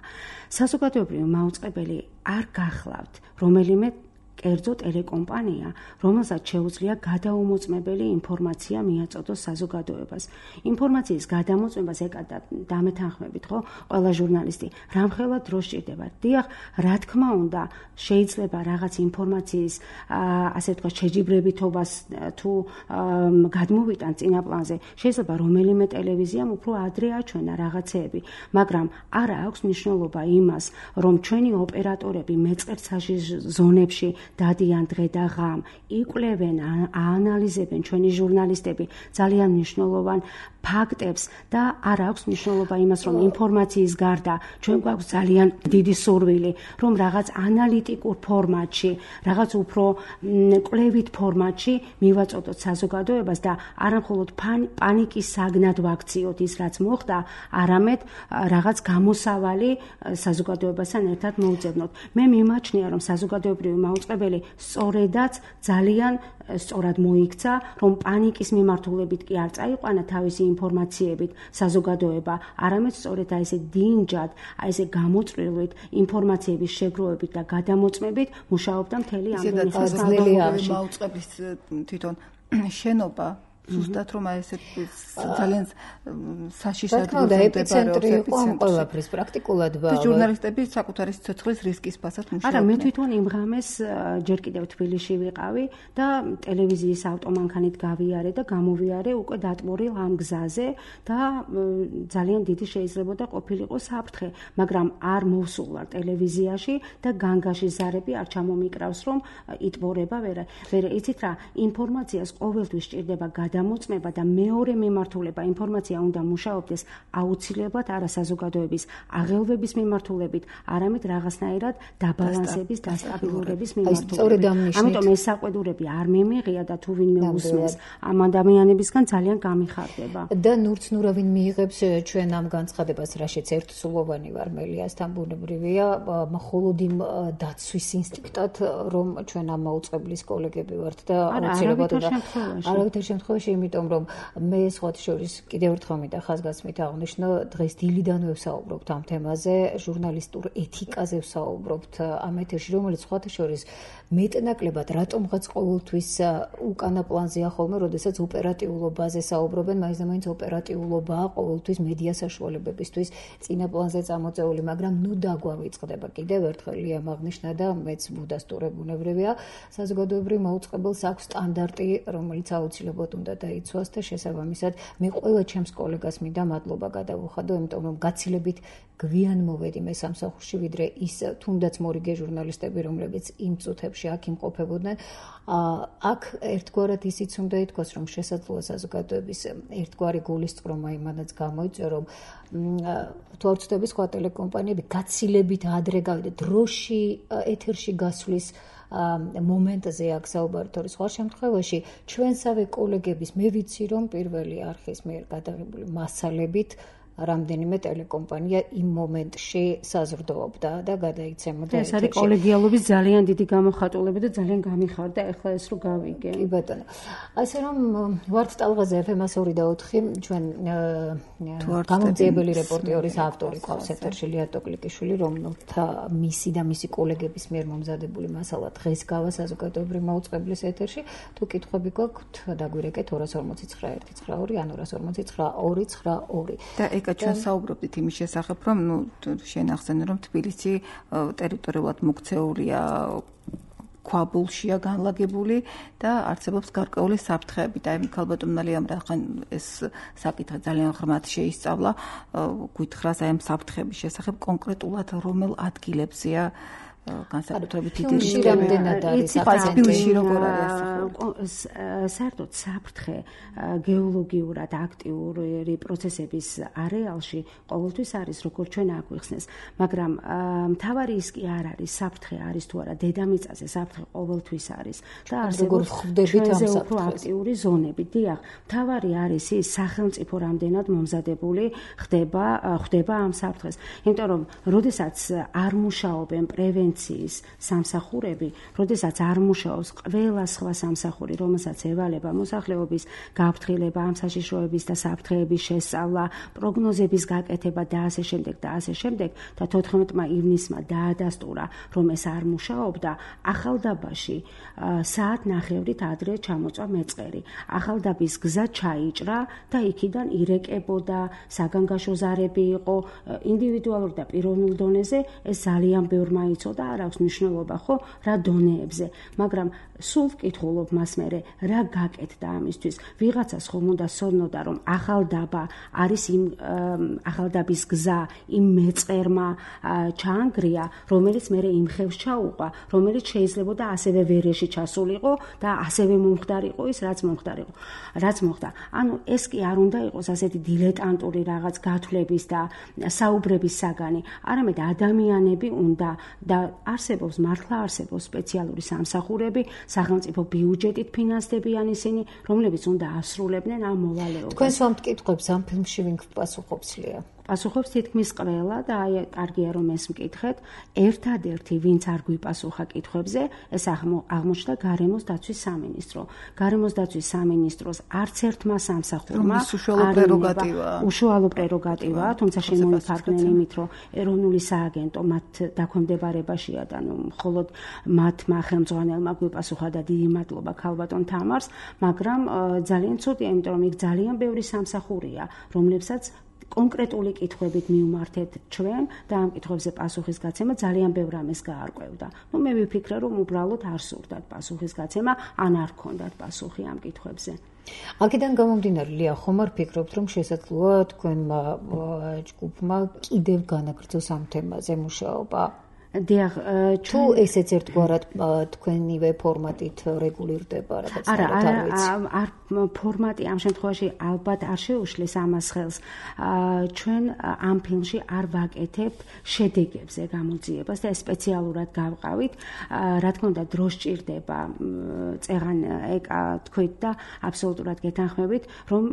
საზოგადოებრივ მაუწყებელი არ გახლავთ რომელიმე კერძო ტელეკომპანია, რომელსაც შეუძლია გადაუმოწმებელი ინფორმაცია მიაწოდოს საზოგადოებას. ინფორმაციის გადამოწმებას ეკადა დამეთანხმებით, ხო, ყველა ჟურნალისტი. რამხელა დრო სჭირდება. დიახ, რა თქმა უნდა, შეიძლება რაღაც ინფორმაციის, ასე ვთქვათ, შეჯიბრებითობას თუ გადმოვიტან წინაპლანზე. შეიძლება რომელიმე ტელევიზიამ უფრო ადრე აჩვენა რაღაცეები, მაგრამ არა აქვს მნიშვნელობა იმას, რომ ჩვენი ოპერატორები მეწყერსაში ზონებში დადიან დღე და ღამ, იკვლევენ, აანალიზებენ ჩვენი ჟურნალისტები ძალიან მნიშვნელოვან ფაქტებს და არ აქვს მნიშვნელობა იმას, რომ ინფორმაციის გარდა ჩვენ გვაქვს ძალიან დიდი სურვილი, რომ რაღაც ანალიტიკურ ფორმატში, რაღაც უფრო კვლევით ფორმატში მივაწოდოთ საზოგადოებას და არა მხოლოდ პანიკის საგნად ვაქციოთ ის, რაც მოხდა, არამედ რაღაც გამოსავალი საზოგადოებასთან ერთად მოუძებნოთ. მე მიმაჩნია, რომ საზოგადოებრივი მაუწყებელი სწორედაც ძალიან სწორად მოიქცა, რომ პანიკის მიმართულებით კი არ წაიყვანა თავისი ინფორმაციებით საზოგადოება, არამედ სწორედ აი ესე დინჯად, აი ესე გამოწვევლით, ინფორმაციების შეგროვებით და გადამოწმებით მუშაობდა მთელი ამ ხანში. მაუწყებლის თვითონ შენობა ზუსტად რომ აი ესე ძალიან საშიშად და ეპიცენტრი იყო ამ ყველაფრის პრაქტიკულად და ჟურნალისტები საკუთარი სიცოცხლის რისკის ფასად მუშაობდნენ. არა, მე თვითონ იმ ღამეს ჯერ კიდევ თბილისში ვიყავი და ტელევიზიის ავტომანქანით გავიარე და გამოვიარე უკვე დატბორილ ამ გზაზე და ძალიან დიდი შეიძლებოდა ყოფილიყო საფრთხე, მაგრამ არ მოვსულ ვარ ტელევიზიაში და განგაში ზარები არ ჩამომიკრავს რომ იტბორება ვერა. ვერა იცით რა, ინფორმაციას ყოველთვის სჭირდება გადამოწმება და მეორე მიმართულება ინფორმაცია უნდა მუშაობდეს აუცილებლად არა საზოგადოების აღელვების მიმართულებით, არამედ რაღაცნაირად დაბალანსების, დასტაბილურების მიმართულებით. ამიტომ ეს საყვედურები არ მემიღია და თუ ვინმე უსმენს ამ ადამიანებისგან ძალიან გამიხარდება. და ნურცნურავინ მიიღებს ჩვენ ამ განცხადებას, რაშიც ერთსულოვანი ვარ მელიასთან ბუნებრივია, მხოლოდ იმ დაცვის ინსტინქტად, რომ ჩვენ ამ მაუწყებლის კოლეგები ვართ და აუცილებლად არავითარ შემთხვევაში, იმიტომ რომ მე სხვათა შორის კიდევ ერთხელ მინდა ხაზგასმით აღნიშნო, დღეს დილიდანვე ვსაუბრობთ ამ თემაზე, ჟურნალისტურ ეთიკაზე ვსაუბრობთ ამ ეთერში, რომელიც სხვათა შორის მეტნაკლებად რატომღაც ყოველთვის უკანა პლანზეა ხოლმე, როდესაც ოპერატიულობაზე საუბრობენ, მაინც და მაინც ოპერატიულობაა ყოველთვის მედია საშუალებებისთვის წინა პლანზე წამოწეული, მაგრამ ნუ დაგვავიწყდება კიდევ ერთხელ იამ აღნიშნა და მეც მუდასტურებ ბუნებრივია, საზოგადოებრივ მაუწყებელს აქვს სტანდარტი, რომელიც აუცილებლად უნდა დაიცვას და შესაბამისად მე ყველა ჩემს კოლეგას მინდა მადლობა გადავუხადო, იმიტომ რომ გაცილებით გვიან მოვედი მე სამსახურში, ვიდრე ის თუნდაც მორიგე ჟურნალისტები, რომლებიც იმ წუთებში აქ იმყოფებოდნენ. აქ ერთგვარად ისიც უნდა ითქვას, რომ შესაძლოა საზოგადოების ერთგვარი გულისწყრომა იმანაც გამოიწვია, რომ თუ არ ვცდები სხვა ტელეკომპანიები გაცილებით ადრე გავიდა დროში ეთერში გასვლის მომენტზე აქ საუბარი თორე სხვა შემთხვევაში ჩვენსავე კოლეგების მე ვიცი რომ პირველი არხის მიერ გადაღებული მასალებით რამდენიმე ტელეკომპანია იმ მომენტში საზრდოობდა და გადაიცემოდა. ეს არის კოლეგიალობის ძალიან დიდი გამოხატულება და ძალიან გამიხარდა ახლა ეს რო გავიგე. კი ბატონო. ასე რომ ვართ ტალღაზე ეფ ემ ორი და ოთხი ჩვენ გამომძიებელი რეპორტიორის ავტორი ყავს ეთერში ლია ტოკლიკიშვილი, რომელთა მისი და მისი კოლეგების მიერ მომზადებული მასალა დღეს გავა საზოგადოებრივ მაუწყებლის ეთერში. თუ კითხვები გაქვთ, დაგვირეკეთ ორ ორმოცი ცხრა ერთი ცხრა ორი ან ორ ორმოცი ცხრა ორი ცხრა ორი. ჩვენ საუბრობდით იმის შესახებ, რომ ნუ შენ ახსენე, რომ თბილისი ტერიტორიულად მოქცეულია ქვაბულშია განლაგებული და არსებობს გარკვეული საფრთხეები და აი ქალბატონმა რახან ეს საკითხი ძალიან ღრმად შეისწავლა, გითხრას აი ამ საფრთხეების შესახებ კონკრეტულად რომელ ადგილებზეა განსაკუთრებით დიდი რამდენად არის თბილისში როგორ არის საერთოდ საფრთხე გეოლოგიურად აქტიური პროცესების არეალში ყოველთვის არის, როგორც ჩვენ აგვიხსნეს, მაგრამ მთავარი ის კი არ არის საფრთხე არის თუ არა დედამიწაზე, საფრთხე ყოველთვის არის და არსებობს ჩვენზე უფრო აქტიური ზონები. დიახ, მთავარი არის ის სახელმწიფო რამდენად მომზადებული ხდება ხდება ამ საფრთხეს. იმიტომ რომ როდესაც არ მუშაობენ პრევენციის სამსახურები, როდესაც არ მუშაობს ყველა სხვა სამსახური, რომელსაც ევალება მოსახლეობის გაფრთხილება, ამ საშიშროების და საფრთხეების შესწავლა, პროგნოზების გაკეთება და ასე შემდეგ და ასე შემდეგ და თოთხმეტმა ივნისმა დაადასტურა, რომ ეს არ მუშაობდა, ახალდაბაში საათნახევრით ადრე ჩამოწვა მეწყერი. ახალდაბის გზა ჩაიჭრა და იქიდან ირეკებოდა, საგანგაშო ზარები იყო, ინდივიდუალურ და პიროვნულ დონეზე ეს ძალიან ბევრმა იცოდა, არ აქვს მნიშვნელობა ხო რა დონეებზე, მაგრამ სულ ვკითხულობ მას მერე რა გაკეთდა ამისთვის. ვიღაცას ხომ უნდა სცნოდა, რომ ახალდაბა არის იმ ახალდაბის გზა იმ მეწყერმა ჩაანგრია, რომელიც მერე იმ ხევს ჩაუყვა, რომელიც შეიძლებოდა ასევე ვერეში ჩასულიყო და ასევე მომხდარიყო ის, რაც მომხდარიყო. რაც მოხდა. ანუ ეს კი არ უნდა იყოს ასეთი დილეტანტური რაღაც გათვლების და საუბრების საგანი, არამედ ადამიანები უნდა და არსებობს მართლა არსებობს სპეციალური სამსახურები, სახელმწიფო ბიუჯეტით ფინანსდებიან ისინი, რომლებიც უნდა ასრულებდნენ ამ მოვალეობას. თქვენ სვამთ კითხვებს ამ ფილმში ვინ გპასუხობს ლია? პასუხობს თითქმის ყველა და აი კარგია რომ ეს მკითხეთ. ერთადერთი ვინც არ გვიპასუხა კითხვებზე, ეს აღმოჩნდა გარემოს დაცვის სამინისტრო. გარემოს დაცვის სამინისტროს არც ერთმა სამსახურმა უშუალო პრეროგატივაა. უშუალო პრეროგატივაა, თუმცა შემოიფარგნენ იმით, რომ ეროვნული სააგენტო მათ დაქვემდებარებაშია და ნუ მხოლოდ მათმა ხელმძღვანელმა გვიპასუხა და დიდი მადლობა ქალბატონ თამარს, მაგრამ ძალიან ცუდია, იმიტომ რომ იქ ძალიან ბევრი სამსახურია, რომლებსაც კონკრეტული კითხვებით მივმართეთ ჩვენ და ამ კითხვებზე პასუხის გაცემა ძალიან ბევრ რამეს გაარკვევდა. ნუ მე ვიფიქრე, რომ უბრალოდ არ სურდათ პასუხის გაცემა, ან არ ქონდათ პასუხი ამ კითხვებზე. აქედან გამომდინარე, ლია, ხომ არ ფიქრობთ, რომ შესაძლოა თქვენმა ჯგუფმა კიდევ განაგრძოს ამ თემაზე მუშაობა? დიახ, თუ ესეც ერთგვარად თქვენივე ფორმატით რეგულირდება, რაღაც არა, არ ფორმატი ამ შემთხვევაში ალბათ არ შეუშლის ამას ხელს. ჩვენ ამ ფილმში არ ვაკეთებთ შედეგებზე გამოძიებას და სპეციალურად გავყავით. რა თქმა უნდა, დრო სჭირდება, წეღან ეკა თქვით და აბსოლუტურად გეთანხმებით, რომ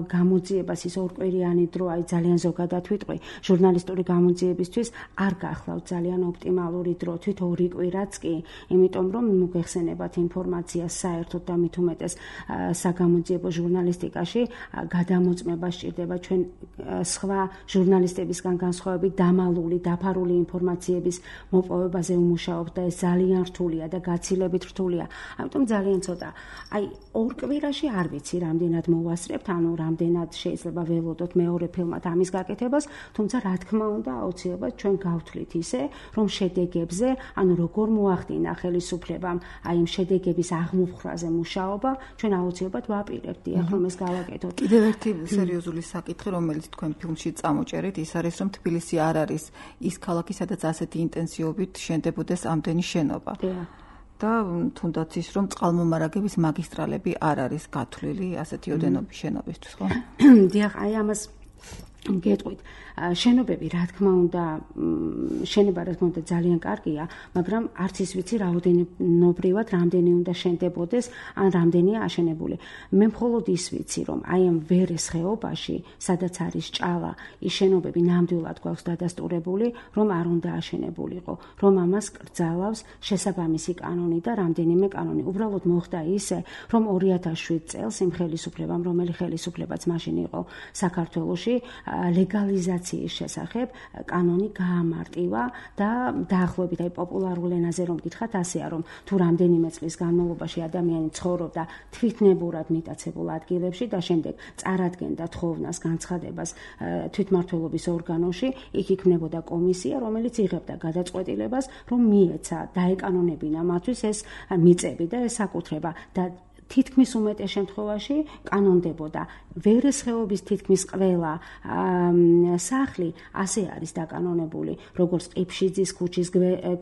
გამოძიებას ის ორკვირიანი დრო, აი ძალიან ზოგადად ვიტყვი, ჟურნალისტური გამოძიებისთვის არ გახლავთ ძალიან ოპტიმალური მალური დრო, თვით ორი კვირაც კი, იმიტომ რომ მოგეხსენებათ ინფორმაციას საერთოდ და მით უმეტეს საგამოძიებო ჟურნალისტიკაში გადამოწმება სჭირდება ჩვენ სხვა ჟურნალისტებისგან განსხვავებით დამალული, დაფარული ინფორმაციების მოპოვებაზე უმუშაობთ და ეს ძალიან რთულია და გაცილებით რთულია. ამიტომ ძალიან ცოტა. აი ორ კვირაში არ ვიცი რამდენად მოვასწრებთ, ანუ რამდენად შეიძლება ველოდოთ მეორე ფილმად ამის გაკეთებას, თუმცა რა თქმა უნდა აუცილებლად ჩვენ გავთვლით ისე, რომ შედეგებზე, ანუ როგორ მოახდინა ხელისუფლებამ აი იმ შედეგების აღმოფხრაზე მუშაობა, ჩვენ აუცილებლად ვაპირებთ, დიახ, რომ ეს გავაკეთოთ. კიდევ ერთი სერიოზული საკითხი, რომელიც თქვენ ფილმში წამოჭერით, ის არის, რომ თბილისი არ არის ის ქალაქი, სადაც ასეთი ინტენსივობით შენდებოდეს ამდენი შენობა. და თუნდაც ის, რომ წყალმომარაგების მაგისტრალები არ არის გათვლილი ასეთი ოდენობის შენობისთვის, ხო? დიახ, აი ამას გეტყვით. შენობები, რა თქმა უნდა, შენება რა თქმა უნდა ძალიან კარგია, მაგრამ არც ის ვიცი რაოდენობრივად რამდენი უნდა შენდებოდეს, ან რამდენია აშენებული. მე მხოლოდ ის ვიცი, რომ აი ამ ვერეს ხეობაში, სადაც არის ჭალა, ის შენობები ნამდვილად გვაქვს დადასტურებული, რომ არ უნდა აშენებულიყო, რომ ამას კრძალავს შესაბამისი კანონი და რამდენიმე კანონი. უბრალოდ მოხდა ისე, რომ ორი ათას შვიდ წელს იმ ხელისუფლებამ, რომელი ხელისუფლებაც მაშინ იყო საქართველოში, ლეგალიზაციის შესახებ კანონი გაამარტივა და დაახლოებით აი პოპულარულ ენაზე რომ გითხრათ, ასეა, რომ თუ რამდენიმე წლის განმავლობაში ადამიანი ცხოვრობდა თვითნებურად მიტაცებულ ადგილებში და შემდეგ წარადგენდა თხოვნას, განცხადებას თვითმმართველობის ორგანოში, იქ იქნებოდა კომისია, რომელიც იღებდა გადაწყვეტილებას, რომ მიეცა დაეკანონებინა მათთვის ეს მიწები და ეს საკუთრება და თითქმის უმეტეს შემთხვევაში კანონდებოდა. ვერეს ხეობის თითქმის ყველა სახლი ასე არის დაკანონებული, როგორც ყიფშიძის ქუჩის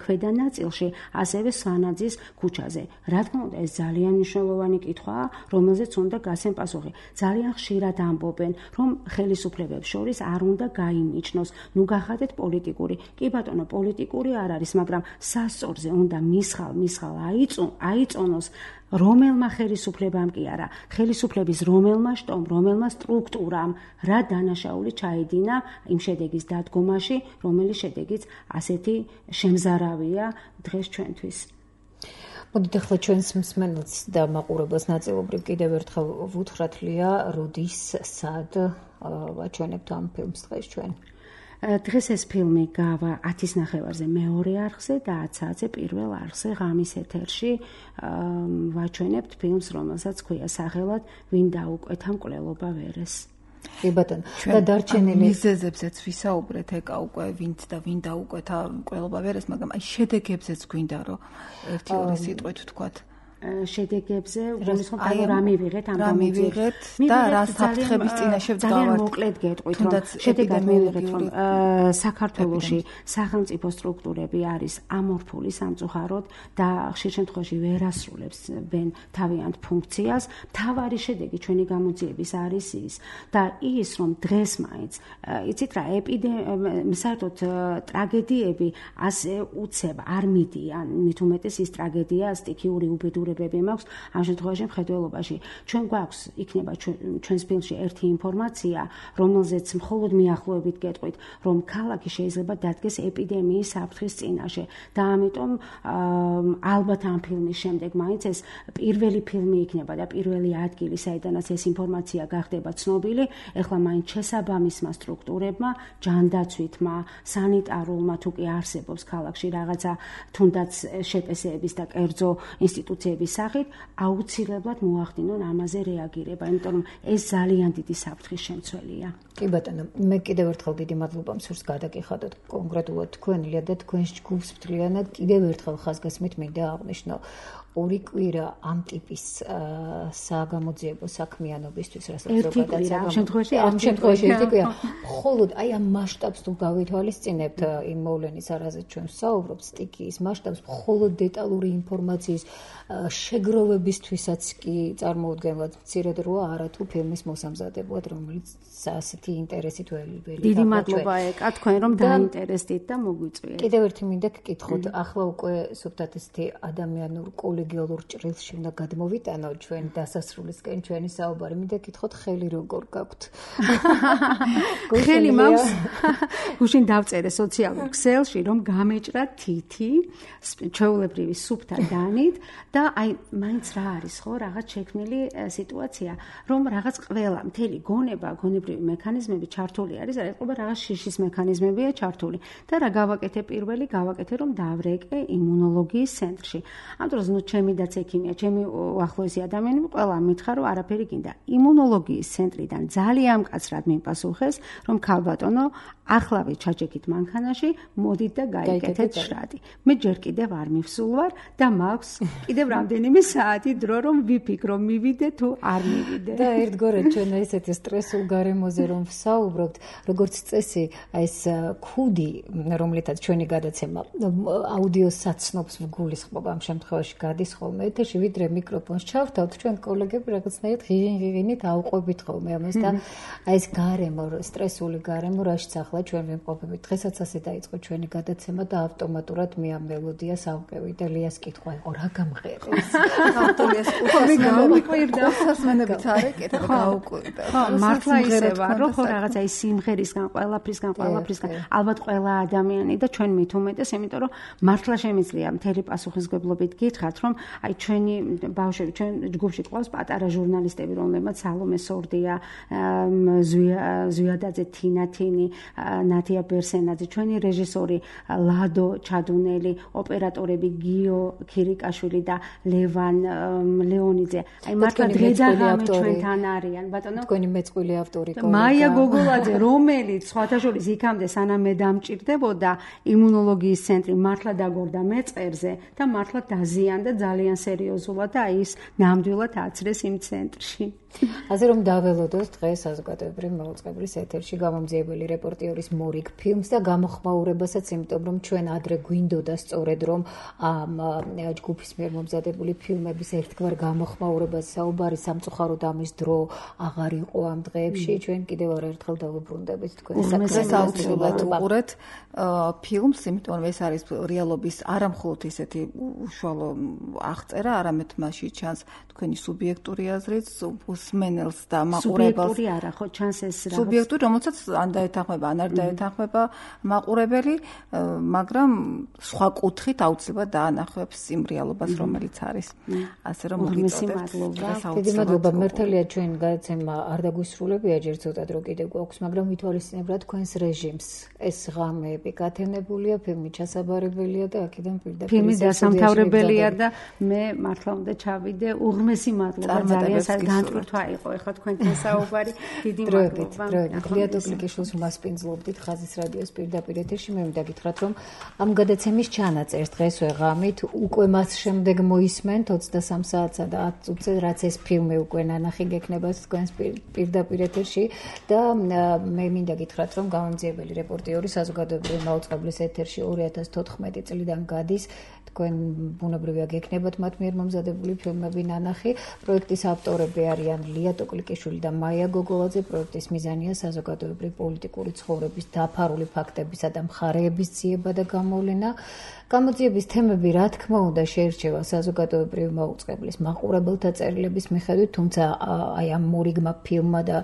ქვედა ნაწილში, ასევე სვანაძის ქუჩაზე. რა თქმა უნდა, ეს ძალიან მნიშვნელოვანი კითხვაა, რომელზეც უნდა გასცენ პასუხი. ძალიან ხშირად ამბობენ, რომ ხელისუფლებებს შორის არ უნდა გაიმიჩნოს, ნუ გახადეთ პოლიტიკური. კი ბატონო, პოლიტიკური არ არის, მაგრამ სასწორზე უნდა მისხალ, მისხალ აიწონოს რომელმა ხელისუფლებამ კი არა, ხელისუფლების რომელმა შტომ, რომელმა სტრუქტურამ რა დანაშაული ჩაედინა იმ შედეგის დადგომაში, რომელიც შედეგიც ასეთი შემზარავია დღეს ჩვენთვის. მოდით ახლა ჩვენს მსმენელს და მაყურებელს ნაწილობრივ კიდევ ერთხელ ვუთხრათ, ლია, როდის, სად ვაჩვენებთ ამ ფილმს დღეს ჩვენ? დღეს ეს ფილმი გავა ათის ნახევარზე მეორე არხზე და ათ საათზე პირველ არხზე ღამის ეთერში ვაჩვენებთ ფილმს, რომელსაც ქვია სახელად ვინ დაუკვეთა მკვლელობა ვერეს. კი ბატონო, და დარჩენილი მიზეზებზეც ვისაუბრეთ, ეკა უკვე ვინც და ვინ დაუკვეთა მკვლელობა ვერეს, მაგრამ აი შედეგებზეც გვინდა რომ ერთი ორი სიტყვით ვთქვათ. შედეგებზე უბრალოდ რა მივიღეთ ამ გამოცდილებად და რა საფრთხების წინაშე ვდგავართ. ძალიან მოკლედ გეტყვით, რომ შედეგად მივიღეთ, რომ საქართველოში სახელმწიფო სტრუქტურები არის ამორფული სამწუხაროდ და ხშირ შემთხვევაში ვერ ასრულებენ თავიანთ ფუნქციას. მთავარი შედეგი ჩვენი გამოძიების არის ის და ის, რომ დღეს მაინც, იცით რა, ეპიდემია, საერთოდ ტრაგედიები ასე უცებ არ მიდიან, მით უმეტეს ის ტრაგედია, სტიქიური უბედურება უფლებები მაქვს ამ შემთხვევაში მხედველობაში. ჩვენ გვაქვს იქნება ჩვენს ფილმში ერთი ინფორმაცია, რომელზეც მხოლოდ მიახლოებით გეტყვით, რომ ქალაქი შეიძლება დადგეს ეპიდემიის საფრთხის წინაშე და ამიტომ ალბათ ამ ფილმის შემდეგ მაინც ეს პირველი ფილმი იქნება და პირველი ადგილი, საიდანაც ეს ინფორმაცია გახდება ცნობილი, ეხლა მაინც შესაბამისმა სტრუქტურებმა, ჯანდაცვითმა, სანიტარულმა თუ კი არსებობს ქალაქში რაღაცა თუნდაც შეპესეების და კერძო ინსტიტუციების სახით, აუცილებლად მოახდინონ ამაზე რეაგირება, იმიტომ რომ ეს ძალიან დიდი საფრთხის შემცველია. კი ბატონო, მე კიდევ ერთხელ დიდი მადლობა მსურს გადაგიხადოთ კონკრეტულად თქვენია და თქვენს ჯგუფს მთლიანად კიდევ ერთხელ ხაზგასმით მინდა აღვნიშნო. ორი კვირა ამ ტიპის საგამოძიებო საქმიანობისთვის, რასაც ზოგადად ამ შემთხვევაში ამ შემთხვევაში ერთი კვირა. მხოლოდ აი ამ მასშტაბს თუ გავითვალისწინებთ იმ მოვლენის არაზეც ჩვენ ვსაუბრობთ, სტიქიის მასშტაბს, მხოლოდ დეტალური ინფორმაციის შეგროვებისთვისაც კი წარმოუდგენლად მცირედ როა არა თუ φιλმის მოსამზადებლად, რომელიც ასეთი ინტერესით ველი. დიდი მადლობა ეკა თქვენ რომ დაინტერესდით და მოგვიწვიეთ. კიდევ ერთი მინდა გკითხოთ, ახლა უკვე სუფთად ესეთი ადამიანურ კოლეგიალურ ჭრილში უნდა გადმოვიტანოთ ჩვენ დასასრულისკენ ჩვენი საუბარი. მინდა გკითხოთ, ხელი როგორ გაქვთ? ხელი მაქვს გუშინ დავწერე სოციალურ ქსელში, რომ გამეჭრა თითი ჩვეულებრივი სუფთა დანით და აი მაინც რა არის ხო, რაღაც შექმნილი სიტუაცია, რომ რაღაც ყველა მთელი გონება, გონებრივი მექანიზმები ჩართული არის, რა ეთყობა რაღაც შიშის მექანიზმებია ჩართული და რა გავაკეთე პირველი, გავაკეთე რომ დავრეკე იმუნოლოგიის ცენტრში. ამ დროს ნუ ჩემი და ექიმია, ჩემი უახლოესი ადამიანები ყველა მითხრა რომ არაფერი გინდა. იმუნოლოგიის ცენტრიდან ძალიან მკაცრად მიპასუხეს, რომ ქალბატონო, ახლავე ჩაჭიქით მანქანაში, მოდით და გაიკეთეთ შრატი. მე ჯერ კიდევ არ მივსულ ვარ და მაქვს კიდევ რამდენიმე საათი დრო რომ ვიფიქრო, მივიდე თუ არ მივიდე. და ერთგვარად ჩვენ ესეთი სტრესულ გარემოზე რომ ვსაუბრობთ, როგორც წესი, ეს ქუდი, რომლითაც ჩვენი გადაცემა აუდიო საცნობს ვგულისხმობ ამ შემთხვევაში გადის ხოლმე ეთერში, ვიდრე მიკროფონს ჩავთავთ, ჩვენ კოლეგები რაღაცნაირად ღიღინით აუყვებით ხოლმე ამას და აი ეს გარემო, სტრესული გარემო, რაშიც ახლა ჩვენ ვიმყოფებით. დღესაც ასე დაიწყო ჩვენი გადაცემა და ავტომატურად მე ამ მელოდიას ავყევი და ლიას კითხვა იყო, რა გამღერეს? ავტოლიას კითხვა გამიკვირდა, სასმენებით არ ეკეთა და გაუკვირდა. ხო, მართლა ისევა, რომ ხო რაღაცა ის სიმღერისგან, ყველაფრისგან, ყველაფრისგან, ალბათ ყველა ადამიანი და ჩვენ მით უმეტეს, იმიტომ რომ მართლა შემიძლია მთელი პასუხისმგებლობით გითხრათ, რომ აი ჩვენი ბავშვები, ჩვენ ჯგუფში ყავს პატარა ჟურნალისტები, რომლებმაც სალომე სორდია, ზვიადაძე, თინა თინი, ნათია ბერსენაძე, ჩვენი რეჟისორი ლადო ჩადუნელი, ოპერატორები გიო ქირიკაშვილი და ლევან ლეონიძე. აი მართლა დედაღამე ჩვენთან არიან, ბატონო. თქვენი მეწყვილე ავტორი კოლეგა. მაია გოგოლაძე, რომელიც სხვათაშორის იქამდე სანამ მე დამჭირდებოდა იმუნოლოგიის ცენტრი მართლა დაგორდა მეწყერზე და მართლა დაზიანდა ძალიან სერიოზულად და აი ის ნამდვილად აცრეს იმ ცენტრში. ასე რომ დაველოდოთ დღეს საზოგადოებრივი მაუწყებლის ეთერში გამომძიებელი რეპორტიორის მორიგ ფილმს და გამოხმაურებასაც, იმიტომ რომ ჩვენ ადრე გვინდოდა სწორედ რომ ამ ჯგუფის მიერ მომზადებული ფილმების ერთგვარ გამოხმაურებას საუბარი სამწუხაროდ ამის დრო აღარ იყო ამ დღეებში. ჩვენ კიდევ არაერთხელ დავუბრუნდებით თქვენს საკუთარ აუცილებლად უყურეთ ფილმს, იმიტომ რომ ეს არის რეალობის არამხოლოდ ისეთი უშუალო აღწერა, არამედ მასში ჩანს თქვენი სუბიექტური აზრიც, მსმენელს და მაყურებელს. სუბიექტური არა, ხო ჩანს ეს რაღაც სუბიექტური, რომელსაც ან დაეთანხმება, ან არ დაეთანხმება მაყურებელი, მაგრამ სხვა კუთხით აუცილებლად დაანახებს იმ რეალობას, რომელიც არის. ასე რომ მოგიწოდეთ. დიდი მადლობა. მართალია ჩვენ გადაცემა არ დაგვისრულებია, ჯერ ცოტა დრო კიდევ გვაქვს, მაგრამ ვითვალისწინებ რა თქვენს რეჟიმს. ეს ღამეები გათენებულია, ფილმი ჩასაბარებელია და აქედან პირდაპირ ფილმი დასამთავრებელია და მე მართლა უნდა ჩავიდე. უღმესი მადლობა, ძალიან განტვირთვა იყო ეხლა თქვენთან საუბარი. დიდი მადლობა. ლიატო კლიკიშვილს მასპინძლობდით ხაზის რადიოს პირდაპირ ეთერში. მე მინდა გითხრათ, რომ ამ გადაცემის ჩანაწერს დღესვე ღამით უკვე მას შემდეგ მოისმენთ ოცდასამ საათსა და ათ წუთზე, რაც ეს ფილმი უკვე ნანახი გექნება თქვენს პირდაპირ ეთერში და მე მინდა გითხრათ, რომ გამომძიებელი რეპორტიორი საზოგადოებრივი მაუწყებლის ეთერში ორი ათას თოთხმეტი წლიდან გადის. თქვენ ბუნებრივია იქნებათ მათ მიერ მომზადებული ფილმები ნანახი. პროექტის ავტორები არიან ლია ტოკლიკიშვილი და მაია გოგოლაძე. პროექტის მიზანია საზოგადოებრივი პოლიტიკური ცხოვრების დაფარული ფაქტებისა და მხარეების ძიება და გამოვლენა. გამოძიების თემები, რა თქმა უნდა, შეირჩევა საზოგადოებრივი მაუწყებლის მაყურებელთა წერილების მიხედვით, თუმცა აი ამ მორიგმა ფილმმა და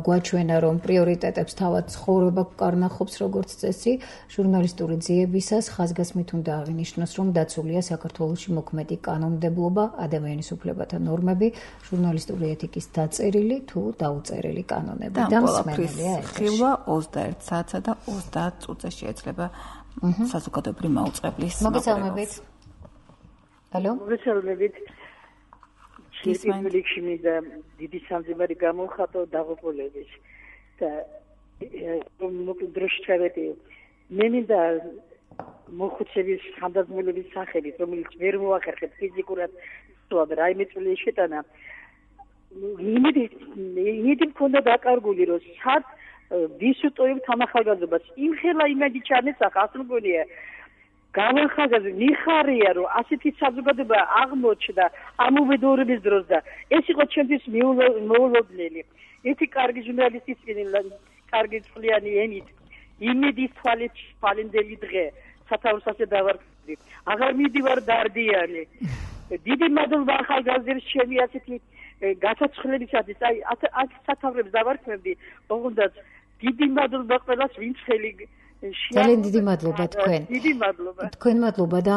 გვაჩვენა, რომ პრიორიტეტებს თავად ცხოვრება კარნახობს როგორც წესი, ჟურნალისტური ძიებისას ხაზგასმით უნდა აღინიშნოს, რომ დაცულია საქართველოში მოქმედი კანონმდებლობა, ადამიანის უფლებათა ნორმები, ჟურნალისტური ეთიკის დაწერილი თუ დაუწერილი კანონები და მსმენელია ეთერში. ხილვა ოცდაერთ საათსა და ოცდაათ წუთზე შეეძლება საზოგადოებრივი მაუწყებლის მოგესალმებით. ალო? მოგესალმებით. შეიძლება მინდა დიდი სამძიმარი გამოვხატო დაღუპულების და მოკლედ დროში ჩავედი. მე მინდა მოხუცების ხანდაზმულების სახელით, რომელიც ვერ მოახერხებს ფიზიკურად სულად რაიმე წვლილი შეტანა. იმედი იმედი მქონდა დაკარგული, რომ სად ვის უტოვებ თანახმადობას. იმ ხელა იმედი ჩანეცახა, ასე მგონია. გამახაზაზე მიხარია, რომ ასეთი საზოგადოება აღმოჩნდა ამ უბედურების დროს და ეს იყო ჩემთვის მოულოდნელი. ერთი კარგი ჟურნალისტის კარგი წყლიანი ენით იმედის თვალით ფალენდელი დღე სათავსაზე დავარკვევდი. აღარ მიდივარ დარდიანი. დიდი მადლობა ახალგაზრდებს ჩემი ასეთი გასაცხლებისათვის. აი აქ სათავრებს დავარკვევდი. ოღონდაც დიდი მადლობა ყველას, ვინც ხელი ძალიან დიდი მადლობა თქვენ. დიდი მადლობა. თქვენ მადლობა და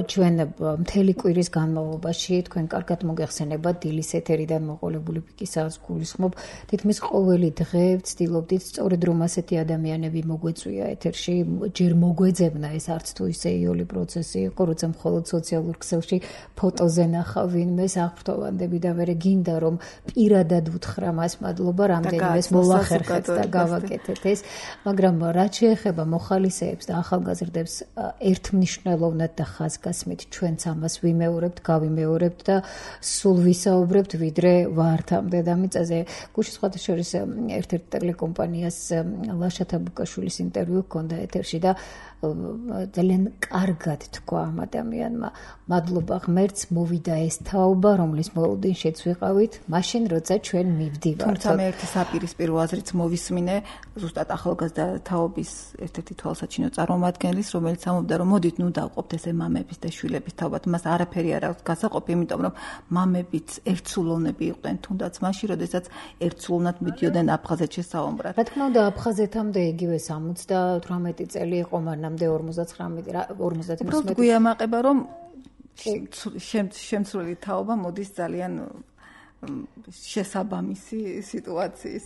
ჩვენ მთელი კვირის განმავლობაში თქვენ კარგად მოგეხსენებათ დილის ეთერიდან მოყოლებული პიკისას გულისხმობ. თითქმის ყოველი დღე ვცდილობდით სწორედ რომ ასეთი ადამიანები მოგვეწვია ეთერში, ჯერ მოგვეძებნა ეს არც თუ ისე იოლი პროცესი იყო, როცა მხოლოდ სოციალურ ქსელში ფოტოზე ნახავ ვინმეს აღფრთოვანდები და მერე გინდა რომ პირადად უთხრა მას მადლობა, რამდენიმეს მოვახერხეთ და გავაკეთეთ ეს, მაგრამ რაც შეეხება მოხალისეებს და ახალგაზრდებს ერთმნიშვნელოვნად და ხაზგასმით ჩვენც ამას ვიმეორებთ, გავიმეორებთ და სულ ვისაუბრებთ ვიდრე ვართამდე და მიწაზე. გუშინ სხვათა შორის ერთ-ერთ ტელეკომპანიას ლაშა ბუკაშვილის ინტერვიუ ჰქონდა ეთერში და ძალიან კარგად თქვა ამ ადამიანმა, მადლობა ღმერთს, მოვიდა ეს თაობა, რომლის მოლოდინშიც ვიყავით, მაშინ როცა ჩვენ მივდივართ. თუმცა მე ერთი საპირისპირო აზრით მოვისმინე ზუსტად ახალგაზრდა თაობის ერთ-ერთი თვალსაჩინო წარმომადგენლის, რომელიც ამბობდა, რომ მოდით ნუ დავყოფთ ესე მამების და შვილების თაობად. მას არაფერი არ აქვს გასაყოფი, იმიტომ რომ მამებიც ერთსულოვნები იყვნენ, თუნდაც მაშინ, როდესაც ერთსულოვნად მიდიოდნენ აფხაზეთში საომბრად. რა თქმა უნდა, აფხაზეთამდე იგივე სამოცდათვრამეტი წელი იყო, მანამდე ორმოცდათხრამეტი ორმოცდათმეტი. უბრალოდ გვიამაყება, რომ შემცვლელი თაობა მოდის ძალიან შესაბამისი სიტუაციის.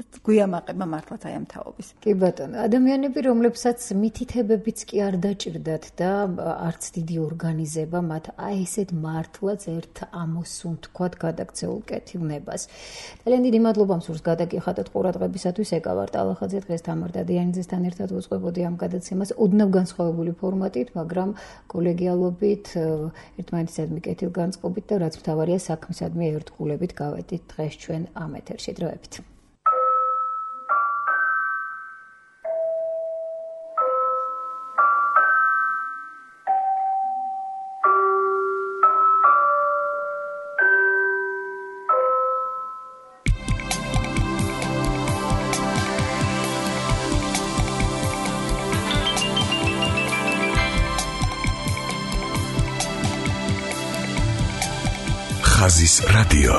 გვიამაყება მართლაც აი ამ თაობის. კი ბატონო, ადამიანები, რომლებსაც მითითებებიც კი არ დაჭირდათ და არც დიდი ორგანიზება მათ აი ესეთ მართლაც ერთ ამოსუნ თქვათ გადაქცეულ კეთილნებას. ძალიან დიდი მადლობა მსურს გადაგიხადოთ ყურადღებისათვის. ეკავარ ტალახაძე, დღეს თამარ დადიანიძესთან ერთად ვუძღვებოდი ამ გადაცემას ოდნავ განსხვავებული ფორმატით, მაგრამ კოლეგიალობით, ერთმანეთისადმი კეთილგანწყობით და რაც მთავარია საქმისადმი ერთგულებით გავედით დღეს ჩვენ ამ ეთერში. დროებით. ხაზის რადიო